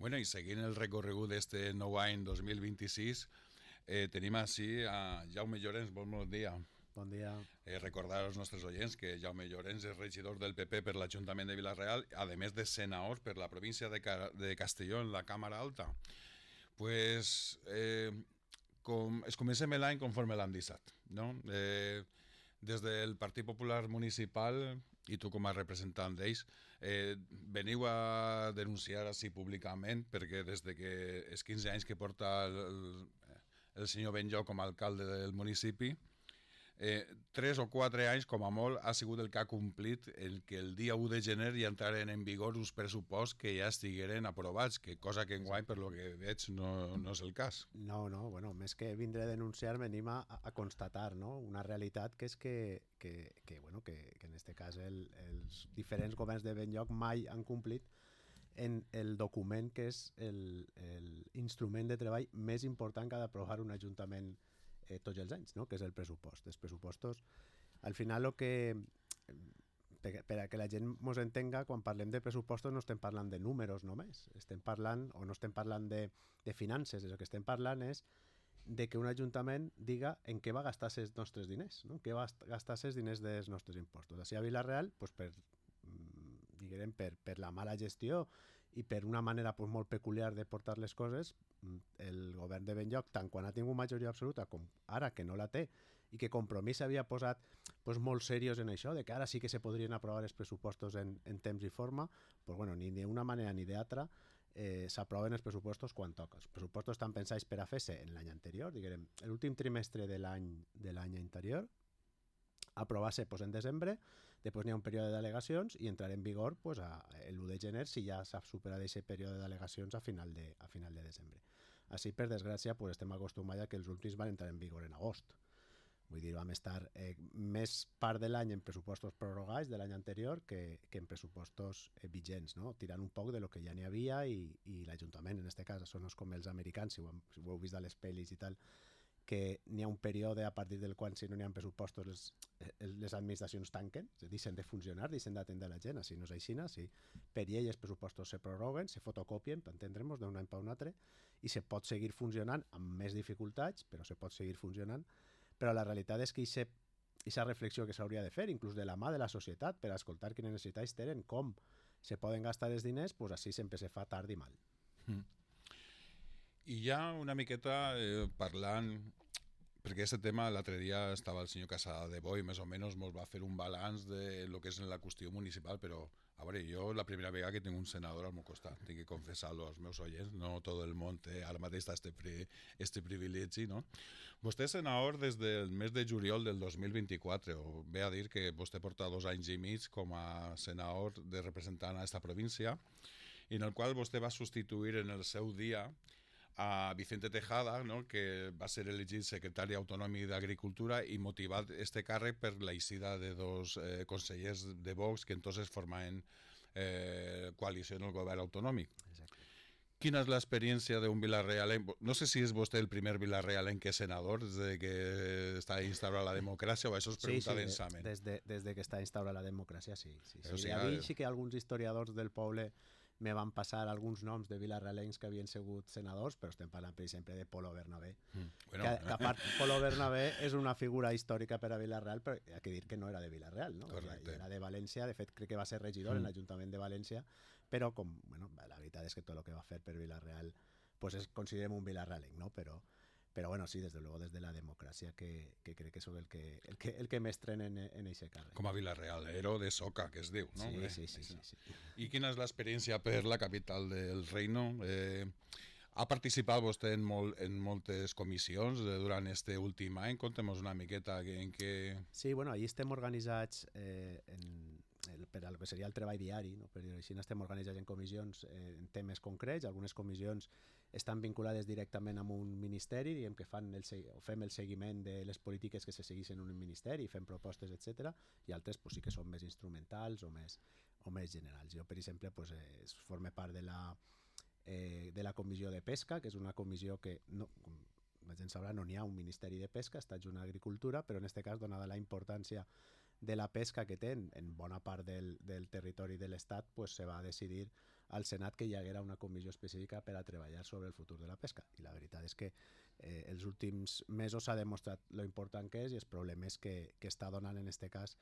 Bueno, i seguint el recorregut d'este nou any 2026, tenim així a Jaume Llorens. Bon dia. Bon dia. Recordar als nostres oients que Jaume Llorens és regidor del PP per l'Ajuntament de Vila-real, a més de senador per la província de Castelló en la Càmera Alta. Pues, es comencem l'any conforme l'han deixat, no? Des del Partit Popular Municipal, i tu com a representant d'ells, veniu a denunciar així públicament, perquè des de que els 15 anys que porta el senyor Benlloc com a alcalde del municipi, 3 o 4 anys com a molt ha sigut el que ha complit el que el dia 1 de gener ja entraren en vigor uns pressuposts que ja estigueren aprovats, que cosa que enguany per lo que veig no és el cas. No, bueno, més que vindre a denunciar venim a constatar, no? Una realitat que és que en este cas els diferents governs de Benlloc mai han complit en el document que és l'instrument de treball més important que ha d'aprovar un ajuntament tots els anys, no? Que és el pressupost. Els pressupostos, al final, per a que la gent mos entenga, quan parlem de pressupostos no estem parlant de números només, estem parlant, o no estem parlant de finances, el que estem parlant és de que un ajuntament diga en què va gastar els nostres diners, no? En què va gastar els diners dels nostres impostos. Així a Vila-real, pues per la mala gestió i per una manera pues, molt peculiar de portar les coses, el govern de Benlloc, tant quan ha tingut majoria absoluta com ara que no la té, i que Compromís s'havia posat pues, molt seriós en això, de que ara sí que se podrien aprovar els pressupostos en temps i forma, pues, bueno, ni d'una manera ni d'altra s'aproven els pressupostos quan toca. Els pressupostos estan pensats per a fer-se en l'any anterior, diguem, l'últim trimestre de l'any anterior, aprovar-se pues, en desembre, després n'hi ha un període de delegacions i entrarà en vigor pues, l'1 de gener si ja s'ha superat aquest període de delegacions a final de desembre. Així, per desgràcia, pues, estem acostumats a que els últims van entrar en vigor en agost. Vull dir, vam estar més part de l'any en pressupostos prorrogats de l'any anterior que en pressupostos vigents, no? Tirant un poc de lo que ja n'hi havia i l'Ajuntament, en aquest cas, són com els americans, si ho heu vist a les pel·lis i tal, que n'hi ha un període a partir del qual si no n'hi ha pressupostos les administracions tanquen, deixen de funcionar, deixen d'atendre la gent, així no és així, si per llei els pressupostos se prorroguen, se fotocopien, per entendre'ns, d'un any per un altre, i se pot seguir funcionant amb més dificultats, però se pot seguir funcionant, però la realitat és que aquesta reflexió que s'hauria de fer, inclús de la mà de la societat, per escoltar quines necessitats tenen, com se poden gastar els diners, doncs així sempre se fa tard i mal. I ja una miqueta parlant, perquè aquest tema l'altre dia estava el senyor Casada de Boi, més o menys ens va fer un balanç de lo que és la qüestió municipal, però a veure, jo la primera vegada que tinc un senador al meu costat, tinc que confessar-lo als meus oients, no tot el món té ara mateix este privilegi, no? Vostè és senador des del mes de juliol del 2024, o ve a dir que vostè porta 2 anys i mig com a senador de representant a esta província, i en el qual vostè va substituir en el seu dia a Vicente Tejada, no? Que va ser elegit secretari autonòmic d'Agricultura i motivat este càrrec per la eixida de 2 consellers de Vox que entonces formaven coalició en el govern autonòmic. Exacte. Quina és l'experiència d'un vilarrealenc? No sé si és vostè el primer vilarrealenc que és senador des de que està instaurada la democràcia, o això es pregunta densament. Des de que està instaurada la democràcia, sí. O sigui, a mi sí que alguns historiadors del poble me van passar alguns noms de vilarrealencs que havien sigut senadors, però estem parlant, per exemple, de Polo Bernabé. Bueno. Que a part, Polo Bernabé és una figura històrica per a Vilareal, però hi ha que dir que no era de Vilareal, no? Era de València, de fet crec que va ser regidor en l'Ajuntament de València, però com, bueno, la veritat és que tot el que va fer per Vilareal pues considerem un vilarrealenc, no? Però bueno, sí, desde luego, desde la democràcia, que crec que sóc el que m'estrena en aquest càrrec. Com a vilarrealero de Soca, que es diu, no? Sí. I quina és l'experiència per la capital del reino? Ha participat vostè en moltes comissions durant este últim any? Contem-nos una miqueta en què... Sí, bueno, allí estem organitzats per al que seria el treball diari, no? Per dir-ho així, estem organitzats en comissions en temes concrets. Algunes comissions estan vinculades directament amb un ministeri, diguem que fem el seguiment de les polítiques que se segueixen en un ministeri, fem propostes, etc. I altres pues, sí que són més instrumentals o més generals. Jo, per exemple, pues, forme part de la comissió de pesca, que és una comissió que no, com la gent sabrà, no n'hi ha un ministeri de pesca, està adjunt a Agricultura, però en aquest cas, donada la importància de la pesca que té en bona part del territori de l'Estat, pues, se va decidir al Senat que hi haguera una comissió específica per a treballar sobre el futur de la pesca. I la veritat és que els últims mesos s'ha demostrat lo important que és i els problemes que està donant en aquest cas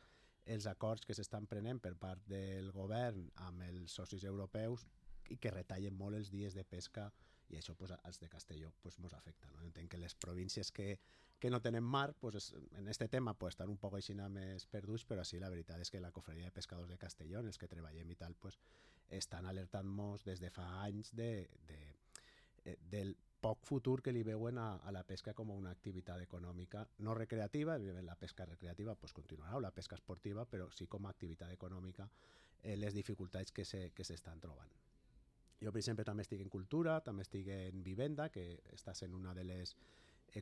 els acords que s'estan prenent per part del govern amb els socis europeus i que retallen molt els dies de pesca i això pues, als de Castelló pues, ens afecta. No? Entenc que les províncies que no tenen mar pues, en aquest tema pues, estan un poc així més perduts, però sí, la veritat és que la Cofreria de Pescadors de Castelló, en els que treballem i tal, pues, estan alertant-nos des de fa anys del poc futur que li veuen a la pesca com una activitat econòmica no recreativa. Evidentment la pesca recreativa pues, continuarà, o la pesca esportiva, però sí com a activitat econòmica les dificultats que s'estan trobant. Jo, per exemple, també estic en cultura, també estic en vivenda, que està sent una de les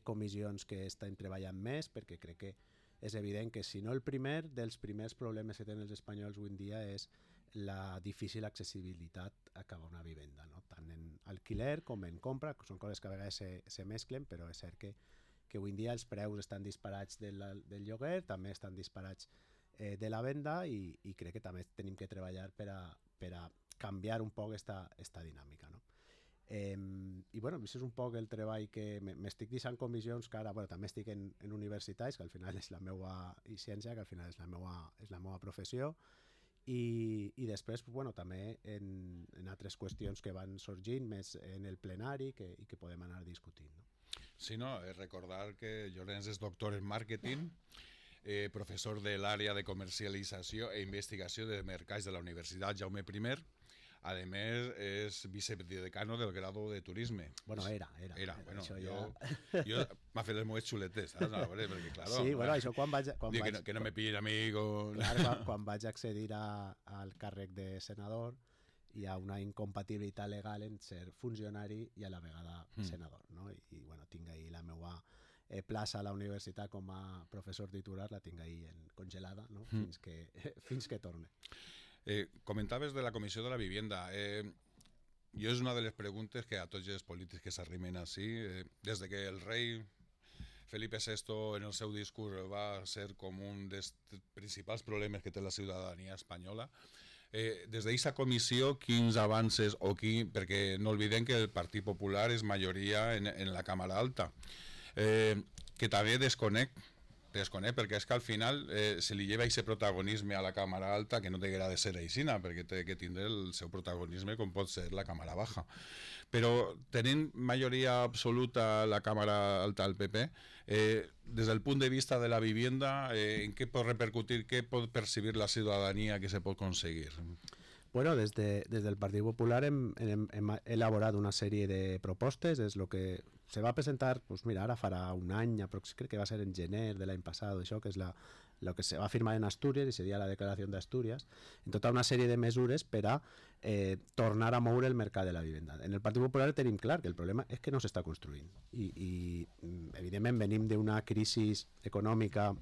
comissions que estem treballant més, perquè crec que és evident que si no el primer dels primers problemes que tenen els espanyols avui en dia és la difícil accessibilitat a acabar una vivenda, no? Tant en alquiler com en compra, que són coses que a vegades se mesclen, però és cert que avui en dia els preus estan disparats del lloguer, també estan disparats de la venda i crec que també tenim que treballar per a canviar un poc esta dinàmica, no? I bueno, això és un poc el treball que m'estic deixant comissions que ara també estic en universitats, que al final és la meva ciència, que al final és la meva professió, i després també en altres qüestions que van sorgint més en el plenari i que podem anar discutint, no? Sí, no, recordar que Llorenç és doctor en màrqueting, professor de l'àrea de comercialització i investigació de mercats de la Universitat Jaume I. A més, és vicedecano del grado de turisme. Bueno, era. Bueno, això jo m'ha fet les meves xuletes, saps? Perquè, claro, sí, bueno, això quan vaig... Que no me pillin a mi con... Clar, quan vaig accedir al càrrec de senador, hi ha una incompatibilitat legal en ser funcionari i a la vegada senador, no? I bueno, tinc ahí la meva plaça a la universitat com a professor titular, la tinc ahí congelada, no? Fins que torne. Comentaves de la Comissió de la Vivienda. Jo és una de les preguntes que a tots els polítics que s'arrimen així, des de que el rei Felipe VI en el seu discurs va ser com un dels principals problemes que té la ciutadania espanyola, des d'aquesta comissió, quins avances perquè no oblidem que el Partit Popular és majoria en la Càmera Alta, que també desconec perquè és que al final se li lleva aquest protagonisme a la Càmera Alta que no té de ser aixina, perquè té que tindre el seu protagonisme com pot ser la Càmera Baja. Però tenint majoria absoluta la Càmera Alta al PP, des del punt de vista de la vivienda, en què pot repercutir, què pot percibir la ciutadania que se pot aconseguir? Bueno, des del Partit Popular hem elaborat una sèrie de propostes. És el que se va presentar, pues mira, ara farà un any, crec que va ser en gener de l'any passat, això, que és el que se va firmar en Astúries i seria la declaració d'Astúries, en tota una sèrie de mesures per a tornar a moure el mercat de la vivenda. En el Partit Popular tenim clar que el problema és que no s'està construint i evidentment venim d'una crisi econòmica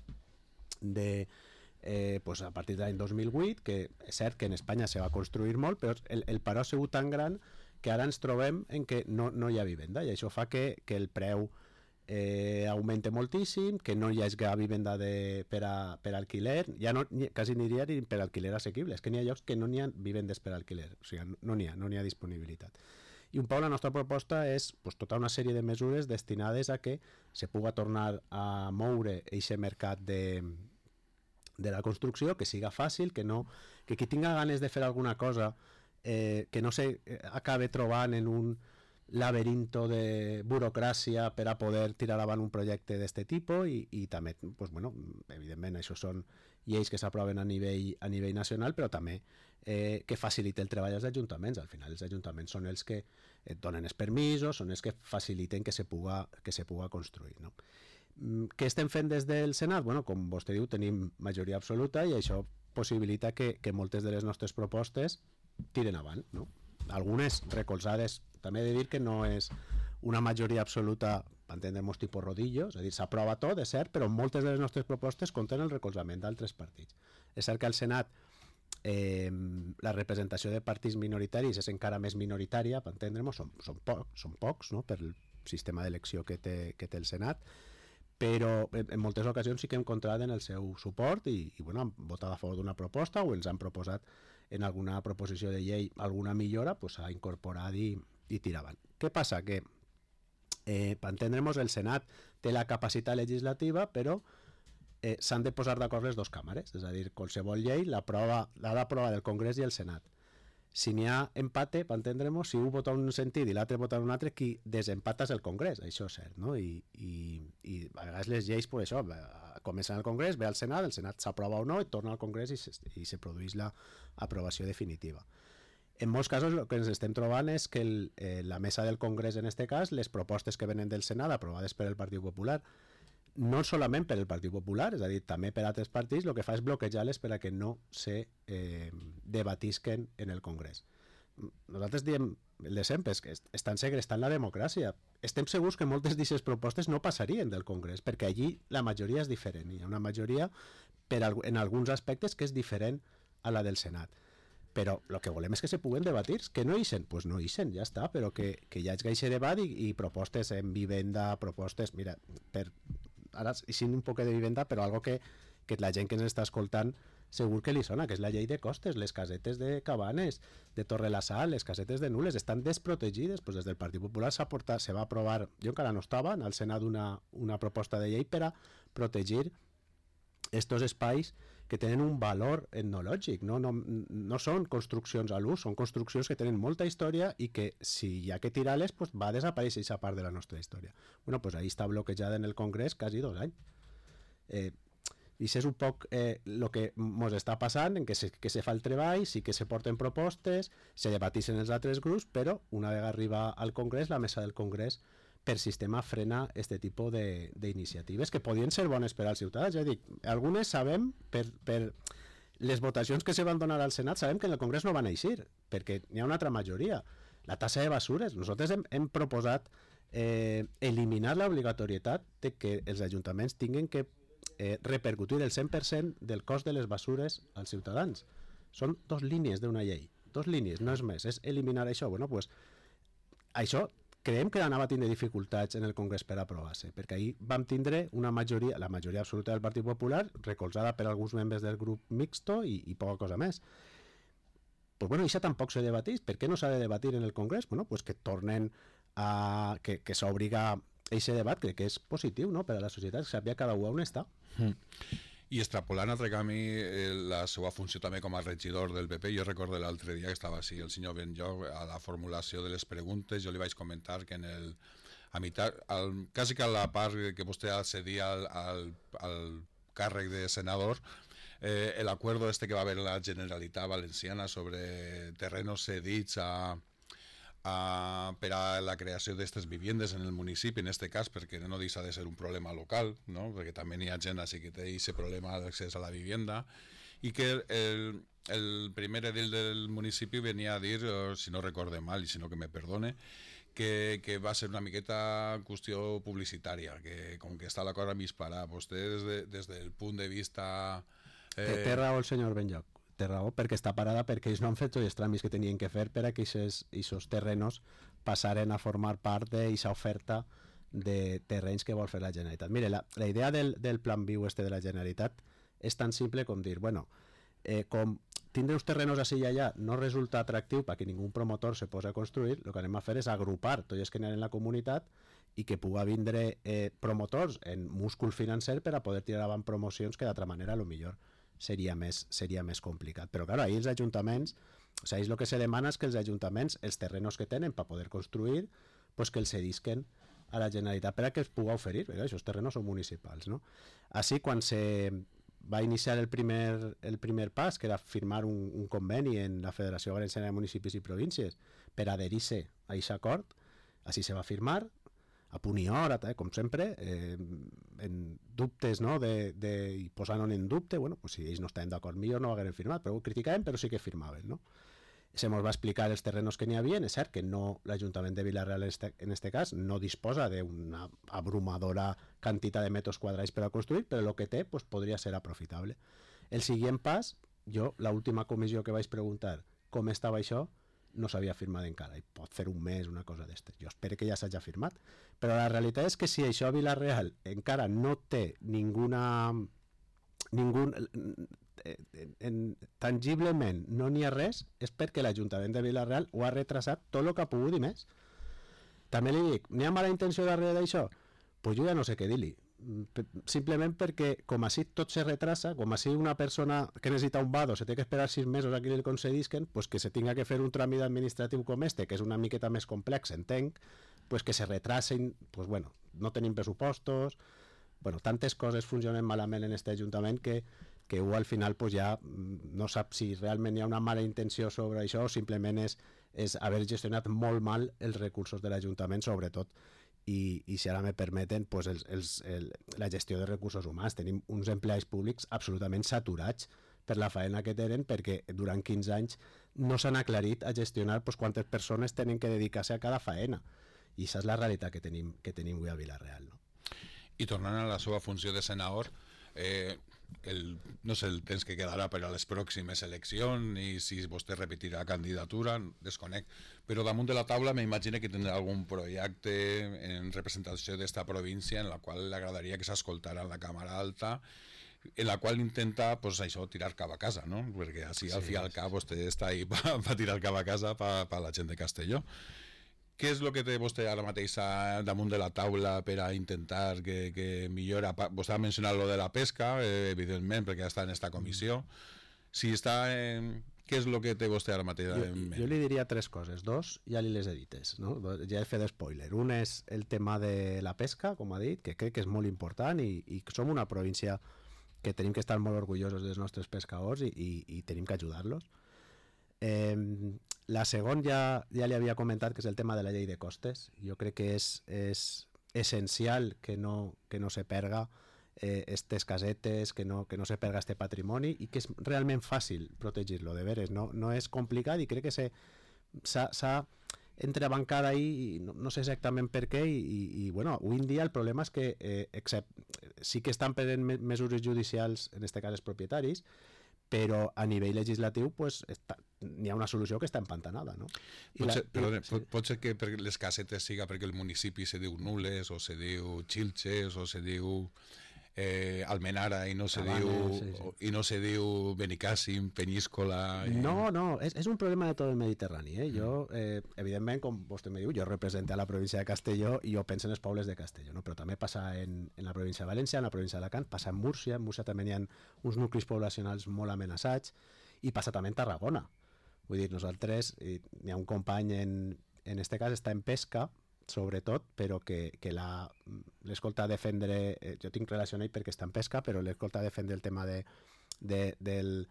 pues a partir de l'any 2008, que és cert que en Espanya se va construir molt, però el paró ha sigut tan gran que ara ens trobem en que no hi ha vivenda, i això fa que el preu augmenta moltíssim, que no hi hagi vivenda per alquiler, ja quasi n'hi hauria ni per alquiler assequible, és que n'hi ha llocs que no n'hi ha vivendes per alquiler, o sigui, no n'hi ha disponibilitat. I un poc la nostra proposta és pues, tota una sèrie de mesures destinades a que se pugui tornar a moure aquest mercat de la construcció, que siga fàcil, que qui tinga ganes de fer alguna cosa que no s'acabe trobant en un laberinto de burocràcia per a poder tirar avant un projecte d'aquest tipus i també, pues, bueno, evidentment això són lleis que s'aproven a nivell nacional, però també que facilite el treball als ajuntaments. Al final els ajuntaments són els que et donen els permisos, són els que faciliten que se puga construir, no? Què estem fent des del Senat? Bueno, com vostè diu, tenim majoria absoluta i això possibilita que moltes de les nostres propostes tiren avant, no? Algunes recolzades, també he de dir que no és una majoria absoluta, per entendre-nos, tipus rodillo, és a dir, s'aprova tot, és cert, però moltes de les nostres propostes compten el recolzament d'altres partits. És cert que al Senat la representació de partits minoritaris és encara més minoritària, per entendre-nos, són pocs, no?, per el sistema d'elecció que té el Senat, però en moltes ocasions sí que hem comptat en el seu suport i bueno, han votat a favor d'una proposta o ens han proposat en alguna proposició de llei alguna millora, pues s'ha incorporat i tiraven. Què passa? Que per entendre'ns, el Senat té la capacitat legislativa, però s'han de posar d'acord les dues càmeres, és a dir, qualsevol llei l'ha d'aprovar el Congrés i el Senat. Si n'hi ha empate, per entendre'ns, si un vota en un sentit i l'altre vota en un altre, qui desempata és el Congrés, això és cert, no? I a vegades les lleis, pues això, comencen al Congrés, ve al Senat, el Senat s'aprova o no, i torna al Congrés i se produeix l'aprovació definitiva. En molts casos el que ens estem trobant és que la mesa del Congrés, en aquest cas, les propostes que venen del Senat aprovades per el Partit Popular, no solament per el Partit Popular, és a dir, també per altres partits, el que fa és bloquejar-les per a que no se debatisquen en el Congrés. Nosaltres diem el de sempre, és que estan segrestant la democràcia. Estem segurs que moltes d'aquestes propostes no passarien del Congrés, perquè allí la majoria és diferent. Hi ha una majoria en alguns aspectes que és diferent a la del Senat. Però el que volem és que se puguen debatir, que no ixen, doncs no ixen, ja està, però que hi hagi aquest debat i propostes en vivenda, propostes, mira, ara ixin un poc de vivenda, però algo que la gent que ens està escoltant segur que li sona, que és la llei de costes, les casetes de Cabanes, de Torre-la-Sal, les casetes de Nules, estan desprotegides, doncs des del Partit Popular se va aprovar, jo encara no estava, al Senat una proposta de llei per a protegir estos espais que tenen un valor etnològic, no són construccions a l'ús, són construccions que tenen molta història i que si hi ha que tirar-les pues va desaparèixer aquesta part de la nostra història. Bueno, pues ahí està bloquejada en el Congrés quasi 2 anys. I això és un poc el que ens està passant, en que se fa el treball, sí que se porten propostes, se debatixen els altres grups, però una vegada arriba al Congrés, la mesa del Congrés per sistema frena aquest tipus d'iniciatives que podien ser bones per als ciutadans. Ja dic, algunes sabem, per les votacions que se van donar al Senat, sabem que en el Congrés no van eixir, perquè hi ha una altra majoria. La tassa de basures. Nosaltres hem proposat eliminar l'obligatorietat de que els ajuntaments tinguin que repercutir el 100% del cost de les basures als ciutadans. Són 2 línies d'una llei. 2 línies, no és més. És eliminar això. Bueno, pues, això creiem que anava a tindre dificultats en el Congrés per aprovar-se, perquè ahir vam tindre una majoria, la majoria absoluta del Partit Popular, recolzada per alguns membres del grup mixto i poca cosa més. Pues bueno, això tampoc se debatís. Per què no s'ha de debatir en el Congrés? Bueno, pues que tornen a... que s'obliga a aquest debat, crec que és positiu, no?, per a la societat, que sàpiga cada un on està. I extrapolant altre camí la seva funció també com a regidor del PP, jo recordo l'altre dia que estava així el senyor Benlloc a la formulació de les preguntes, jo li vaig comentar que quasi que a la part que vostè accedia al càrrec de senador, el acuerdo que va haver la Generalitat Valenciana sobre terrenos cedits per a la creació d'aquestes viviendes en el municipi, en aquest cas, perquè no deixa de ser un problema local, no? Perquè també hi ha gent així que té aquest problema d'accés a la vivienda, i que el primer edil del municipi venia a dir, si no recorde mal i si no que me perdone, que va ser una miqueta qüestió publicitària, que com que està la cosa mig parar, vostè des del punt de vista... Té raó el senyor Benlloc. Té raó, perquè està parada perquè ells no han fet tots els tràmits que tenien que fer per a que aquests terrenos passaren a formar part d'aquesta oferta de terrenys que vol fer la Generalitat. Mire, la idea del plan viu de la Generalitat és tan simple com dir, bueno, com tindre uns terrenos així i allà no resulta atractiu perquè ningú promotor se posa a construir, el que anem a fer és agrupar tots els que n'hi ha en la comunitat i que pugui vindre promotors en múscul financer per a poder tirar avant promocions que d'altra manera millor seria més complicat. Però clar, ahir els ajuntaments, o sigui, el que se demana és que els ajuntaments, els terrenos que tenen per poder construir, pues que els cedisquen a la Generalitat per a que es pugui oferir, perquè aquests terrenos són municipals, no? Així, quan se va iniciar el primer pas, que era firmar un conveni en la Federació Valenciana de Municipis i Províncies per adherir-se a aquest acord, així se va firmar, a punt i hora, com sempre, en dubtes, no?, i posant-ho en dubte, bueno, pues si ells no estaven d'acord millor no ho hagueren firmat, però ho criticaven, però sí que firmaven, no? Se ens va explicar els terrenos que n'hi havia, és cert que no, l'Ajuntament de Vila-real en aquest cas no disposa d'una abrumadora quantitat de metres quadrats per a construir, però el que té pues, podria ser aprofitable. El següent pas, jo, l'última comissió que vaig preguntar com estava això, no s'havia firmat encara, i pot fer un mes, una cosa d'estes. Jo espero que ja s'hagi firmat, però la realitat és que si això a Vila-real encara no té tangiblement no n'hi ha res, és perquè l'Ajuntament de Vila-real ho ha retrasat tot el que ha pogut i més. També li dic, n'hi ha mala intenció darrere d'això? Pues jo ja no sé què dir-li. Simplement perquè com així tot se retrasa, com així una persona que necessita un vado se té que esperar 6 mesos a que li concedisquen, pues que se tinga que fer un tràmit administratiu com este, que és una miqueta més complex, entenc, pues que se retrasen, pues bueno, no tenim pressupostos, bueno, tantes coses funcionen malament en este Ajuntament que al final pues ja no sap si realment hi ha una mala intenció sobre això o simplement és haver gestionat molt mal els recursos de l'Ajuntament, sobretot, i si ara me permeten, pues la gestió de recursos humans. Tenim uns empleats públics absolutament saturats per la faena que tenen perquè durant 15 anys no s'han aclarit a gestionar pues, quantes persones tenen que dedicar-se a cada faena. I això és la realitat que tenim avui a Vila-real, no? I tornant a la seva funció de senador, no sé el temps que quedarà per a les pròximes eleccions i si vostè repetirà candidatura, desconec, però damunt de la taula m'imagino que tindrà algun projecte en representació d'esta província en la qual li agradaria que s'escoltara en la Càmera Alta, en la qual intenta pues, això, tirar cap a casa, no? Perquè així al fi al cap vostè està ahí per tirar cap a casa per la gent de Castelló. Què és el que té vostè ara mateix damunt de la taula per a intentar que millora? Vostè ha mencionat lo de la pesca, evidentment, perquè està en esta comissió. Si està què és el que té vostè ara mateix en ment? Jo li diria 3 coses. 2 ja li les he dites, no? Ja he fet spoiler. Un és el tema de la pesca, com ha dit, que crec que és molt important i som una província que tenim que estar molt orgullosos dels nostres pescadors i tenim que ajudar-los. La segona ja li havia comentat, que és el tema de la llei de costes. Jo crec que és essencial que no se perga estes casetes, que no se perga este patrimoni i que és realment fàcil protegir-lo, de veres, no és complicat i crec que s'ha entrebancat ahí i no sé exactament per què i bueno, avui en dia el problema és que sí que estan prenent mesures judicials, en aquest cas els propietaris, però a nivell legislatiu pues, n'hi ha una solució que està empantanada, no? Pot ser que per les casetes siga perquè el municipi se diu Nules o se diu Xilxes o se diu Almenara i no se diu Benicàssim, Penyíscola... No, és un problema de tot el Mediterrani. Jo, evidentment, com vostè me diu, jo represento a la província de Castelló i jo penso en els pobles de Castelló, no? Però també passa en la província de València, en la província d'Alacant, passa en Múrcia també hi ha uns nuclis poblacionals molt amenaçats i passa també en Tarragona. Vull dir, nosaltres, hi ha un company en este cas està en pesca, sobretot, però que l'escolta defendre, jo tinc relació amb ell perquè està en pesca, però l'escolta defendre el tema d'este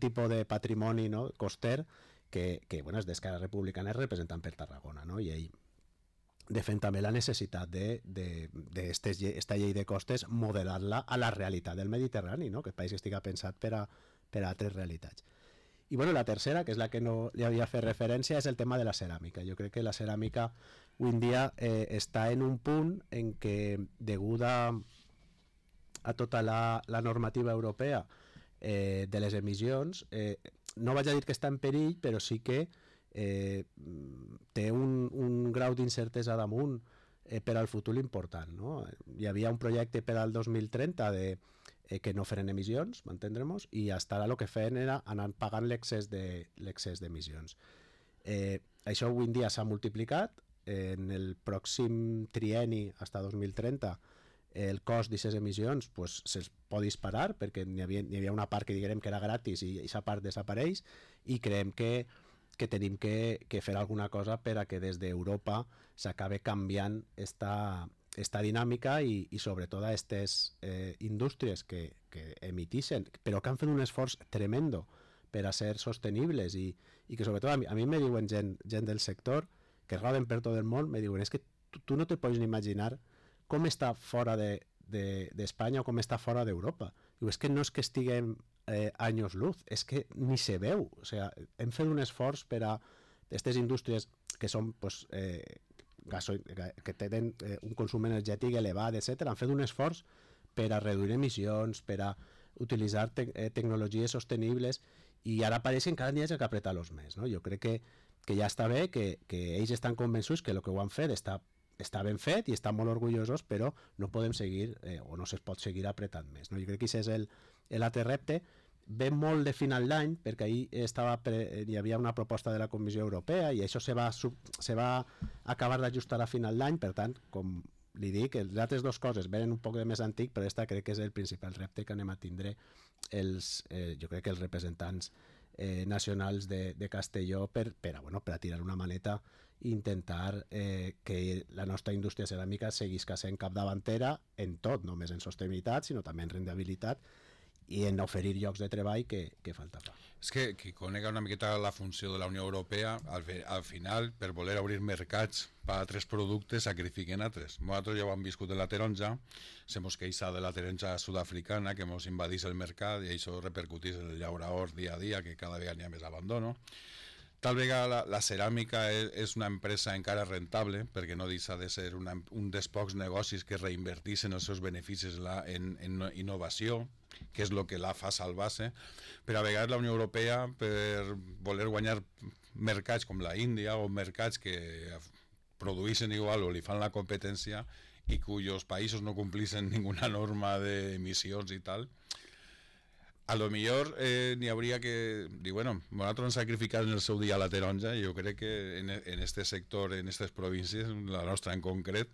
tipus de patrimoni, no? Coster, que bueno, és d'Esquerra Republicana, és representant per Tarragona, no? I ell defèn també la necessitat d'esta llei de costes modelar-la a la realitat del Mediterrani, no? Que el país estigui pensat per a altres realitats. I bueno, la tercera, que és la que no li havia fet referència, és el tema de la ceràmica. Jo crec que la ceràmica avui en dia està en un punt en què, deguda a tota la normativa europea de les emissions, no vaig a dir que està en perill, però sí que té un grau d'incertesa damunt per al futur important, no? Hi havia un projecte per al 2030 que no feren emissions, m'entendrem-nos, i fins ara el que feien era anar pagant l'excés d'emissions. Això avui en dia s'ha multiplicat. En el pròxim trienni, fins a 2030, el cost d'aquestes emissions pues, se'ls pot disparar perquè n'hi havia una part que diguem que era gratis i aquesta part desapareix i creiem que tenim que fer alguna cosa per a que des d'Europa s'acabi canviant esta dinàmica i sobretot a aquestes indústries que emitixen, però que han fet un esforç tremendo per a ser sostenibles i que sobretot a mi me diuen gent del sector que roden per tot el món, me diuen és que tu no te pots ni imaginar com està fora d'Espanya o com està fora d'Europa. Diu, és que no és que estiguem anys luz, és que ni se veu. O sigui, hem fet un esforç per a aquestes indústries que són pues, que tenen un consum energètic elevat, etc. Han fet un esforç per a reduir emissions, per a utilitzar tecnologies sostenibles i ara pareix que cada dia s'ha que apretar-los més, no? Jo crec que ja està bé, que ells estan convençuts que el que ho han fet està ben fet i estan molt orgullosos, però no podem seguir o no es pot seguir apretant més, no? Jo crec que aquest és l'altre repte. ve molt de final d'any, perquè ahir hi havia una proposta de la Comissió Europea i això se va acabar d'ajustar a final d'any, per tant, com li dic, les altres dues coses venen un poc de més antic, però aquesta crec que és el principal repte que anem a tindre jo crec que els representants nacionals de Castelló per a tirar una maneta i intentar que la nostra indústria ceràmica seguisca sent capdavantera en tot, no només en sostenibilitat, sinó també en rendibilitat i en oferir llocs de treball que falta fa. És que qui conega una miqueta la funció de la Unió Europea, al final, per voler obrir mercats per a altres productes, sacrifiquen altres. Nosaltres ja ho hem viscut en la taronja, se mos queixa de la taronja sud-africana, que mos invadís el mercat i això repercutís en el llauraor dia a dia, que cada vegada n'hi ha més abandono. Tal vegada la ceràmica és una empresa encara rentable, perquè no deixa de ser un dels pocs negocis que reinverteixen els seus beneficis en innovació, que és el que la fa salvar-se, però a vegades la Unió Europea, per voler guanyar mercats com la Índia o mercats que produeixen igual o li fan la competència i cuyos països no complixen ninguna norma d'emissions i tal, a lo millor n'hi hauria que dir, bueno, nosaltres hem sacrificat en el seu dia la taronja i jo crec que en este sector, en aquestes províncies, la nostra en concret,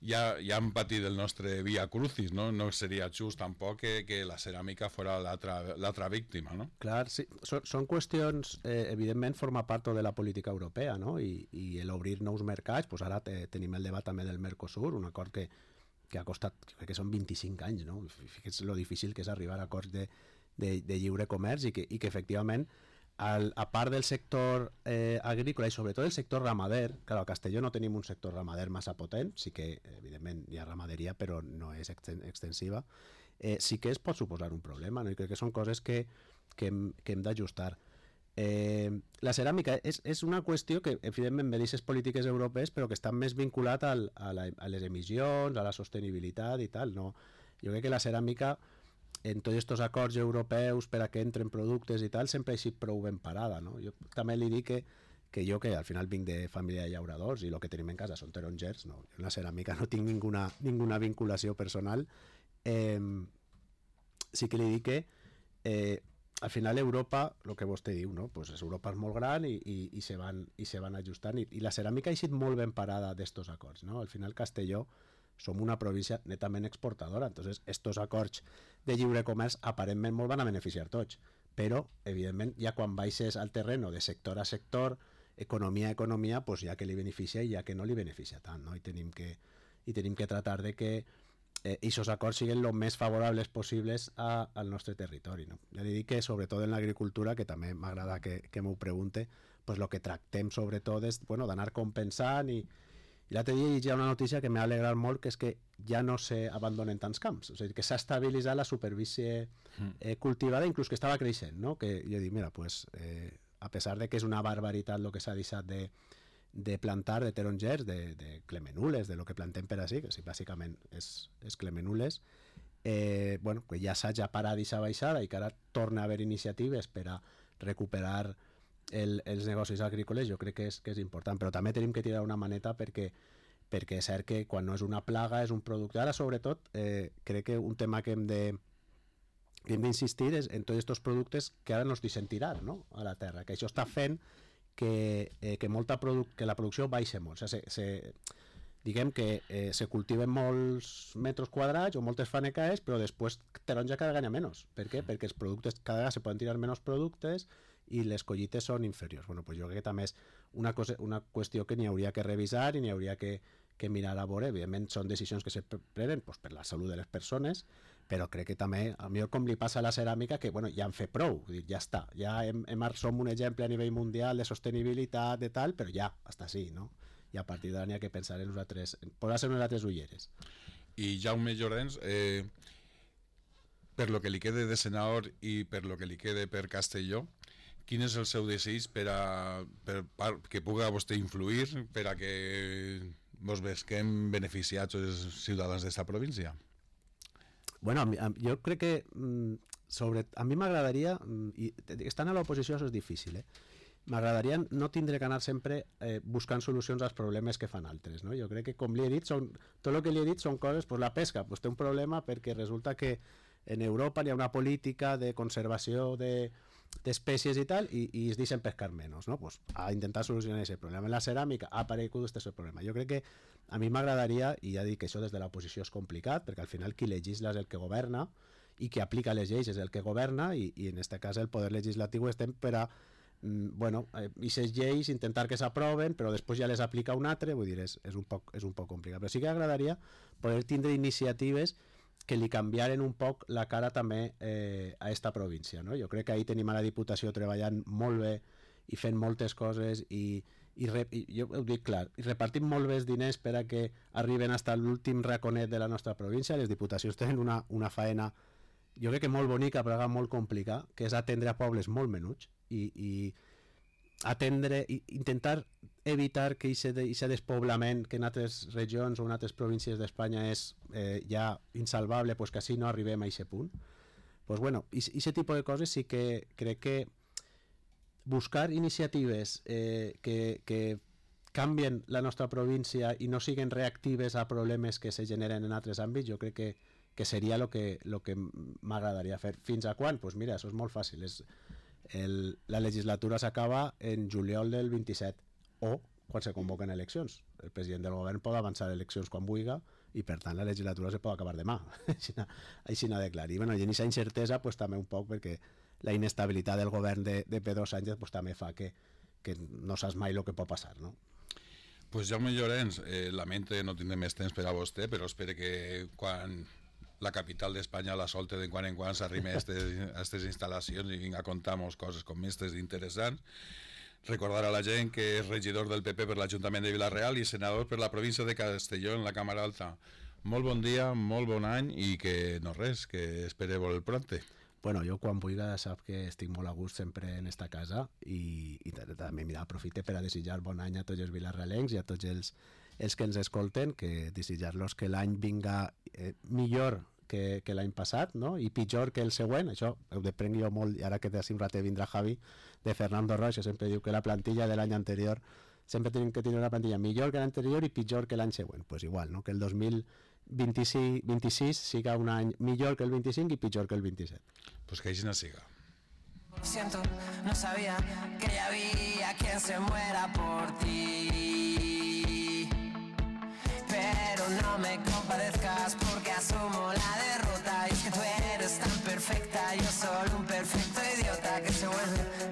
ja han patit el nostre via crucis, no? No seria just tampoc que la ceràmica fora l'altra víctima, no? Clar, sí, són qüestions, evidentment forma part de la política europea, no? I l'obrir nous mercats, doncs ara tenim el debat també del Mercosur, un acord que ha costat, crec que són 25 anys, no? Fixa't lo difícil que és arribar a acords de lliure comerç i que efectivament, a part del sector agrícola i sobretot el sector ramader, clar, a Castelló no tenim un sector ramader massa potent, sí que evidentment hi ha ramaderia però no és extensiva, sí que es pot suposar un problema, no? I crec que són coses que hem d'ajustar. La ceràmica és una qüestió que evidentment ve d'aquestes polítiques europees però que està més vinculat a les emissions, a la sostenibilitat i tal, no? Jo crec que la ceràmica en tots aquests acords europeus per a que entren productes i tal, sempre ha sigut prou ben parada, no? Jo també li dic que jo, que al final vinc de família de llauradors i el que tenim en casa són tarongers, no? Jo en la ceràmica no tinc ninguna vinculació personal. Sí que li dic que al final Europa, el que vostè diu, no? Pues Europa és molt gran i se van ajustant i la ceràmica ha sigut molt ben parada d'estos acords, no? Al final Castelló som una província netament exportadora, entonces estos acords de lliure comerç aparentment molt van a beneficiar tots, però evidentment ja quan baixes al terreno de sector a sector, economia a economia, pues ja que li beneficia i ja que no li beneficia tant, no? I tenim que tratar de que aquests acords siguin el més favorables possibles al nostre territori, no? Ja li dic que sobretot en l'agricultura, que també m'agrada que m'ho pregunte, pues el que tractem sobretot és d'anar compensant i l'altre dia hi ha una notícia que m'ha alegrat molt, que és que ja no s'abandonen tants camps, o sigui, que s'ha estabilitzat la superfície cultivada, inclús que estava creixent, no? Que jo dic, mira, pues, a pesar de que és una barbaritat el que s'ha deixat de plantar de tarongers, de clemenules, de lo que plantem per així, que sí, bàsicament és clemenules, bueno, que ja s'ha parat aquesta baixada i que ara torna a haver iniciatives per a recuperar els negocis agrícoles, jo crec que és important, però també tenim que tirar una maneta perquè és cert que quan no és una plaga és un producte. Ara sobretot crec que un tema que hem d'insistir és en tots aquests productes que ara no es deixen tirar, no? A la terra, que això està fent que la producció baixa molt, o sigui, diguem que se cultiven molts metres quadrats o moltes fanecaes, però després taronja cada vegada menys. Per què? Perquè els productes cada vegada se poden tirar menys productes i les collites són inferiors. Bueno, pues jo crec que també és una qüestió que n'hi hauria que revisar i n'hi hauria que mirar a veure. Evidentment són decisions que se prenen pues, per la salut de les persones, però crec que també, a millor com li passa a la ceràmica, que bueno, ja han fet prou, ja està, ja som un exemple a nivell mundial de sostenibilitat, de tal, però ja, hasta sí, no? I a partir d'ara n'hi ha que pensar en posar-se unes altres ulleres. I Jaume Llorenç, per lo que li quede de Senador i per lo que li quede per Castelló, quin és el seu desig per que puga vostè influir per a que mos vesquem beneficiats els ciutadans d'esta província? Bueno, jo crec que a mi m'agradaria, i estant a l'oposició això és difícil, m'agradaria no tindre que anar sempre buscant solucions als problemes que fan altres, no? Jo crec que, com li he dit, tot el que li he dit són coses, pues la pesca pues té un problema perquè resulta que en Europa hi ha una política de conservació d'espècies i tal, i es deixen pescar menys, no? Pues a intentar solucionar aquest problema. En la ceràmica ha aparegut aquest problema. Jo crec que a mi m'agradaria, i ja dic que això des de l'oposició és complicat, perquè al final qui legisla és el que governa, i qui aplica les lleis és el que governa, i en aquest cas el poder legislatiu estem per a aquestes lleis intentar que s'aproven, però després ja les aplica un altre, vull dir, és un poc complicat. Però sí que agradaria poder tindre iniciatives que li canviaren un poc la cara també a esta província, no? Jo crec que ahir tenim a la Diputació treballant molt bé i fent moltes coses i jo ho dic clar, i repartim molt bé els diners per a que arriben fins a l'últim raconet de la nostra província. Les diputacions tenen una faena, jo crec que molt bonica però molt complicada, que és atendre a pobles molt menuts i atendre, intentar evitar que aquest despoblament que en altres regions o en altres províncies d'Espanya és ja insalvable, pues que així no arribem a aquest punt. Pues bueno, aquest tipus de coses sí que crec que buscar iniciatives que canvien la nostra província i no siguin reactives a problemes que se generen en altres àmbits, jo crec que seria el que m'agradaria fer. Fins a quan? Pues mira, això és molt fàcil. La legislatura s'acaba en juliol del 27 o quan se convoquen eleccions. El president del govern pot avançar eleccions quan vulgui i per tant la legislatura se pot acabar demà. Així n'ha de clar. I bueno, i en aquesta incertesa pues, també un poc perquè la inestabilitat del govern de Pedro Sánchez pues, també fa que no saps mai el que pot passar, no? Pues Jaume Llorenç, lamento no tindre més temps per a vostè, però espero que quan la capital d'Espanya la solte de quan en quan s'arrime a aquestes instal·lacions i vinga a contar-nos coses com aquestes interessants. Recordar a la gent que és regidor del PP per l'Ajuntament de Vila-real i senador per la província de Castelló en la Càmera Alta. Molt bon dia, molt bon any i que no res, que espere molt pronte. Bueno, jo quan vulgui sap que estic molt a gust sempre en esta casa i també aprofite per a desitjar bon any a tots els vilarrealencs i a tots els que ens escolten, que desitjar-los que l'any vinga millor que l'any passat, no? I pitjor que el següent. Això ho deprenc jo molt, i ara que d'ací un ratet vindrà Javi, de Fernando Roig, que sempre diu que la plantilla de l'any anterior sempre tenim que tenir una plantilla millor que l'anterior i pitjor que l'any següent. Pues igual, no? Que el 2026 siga un any millor que el 25 i pitjor que el 27. Pues que així no siga. Siento, no sabía que ya había quien se muera por ti, pero no me compadezcas porque asumo la derrota y es que tú eres tan perfecta, yo solo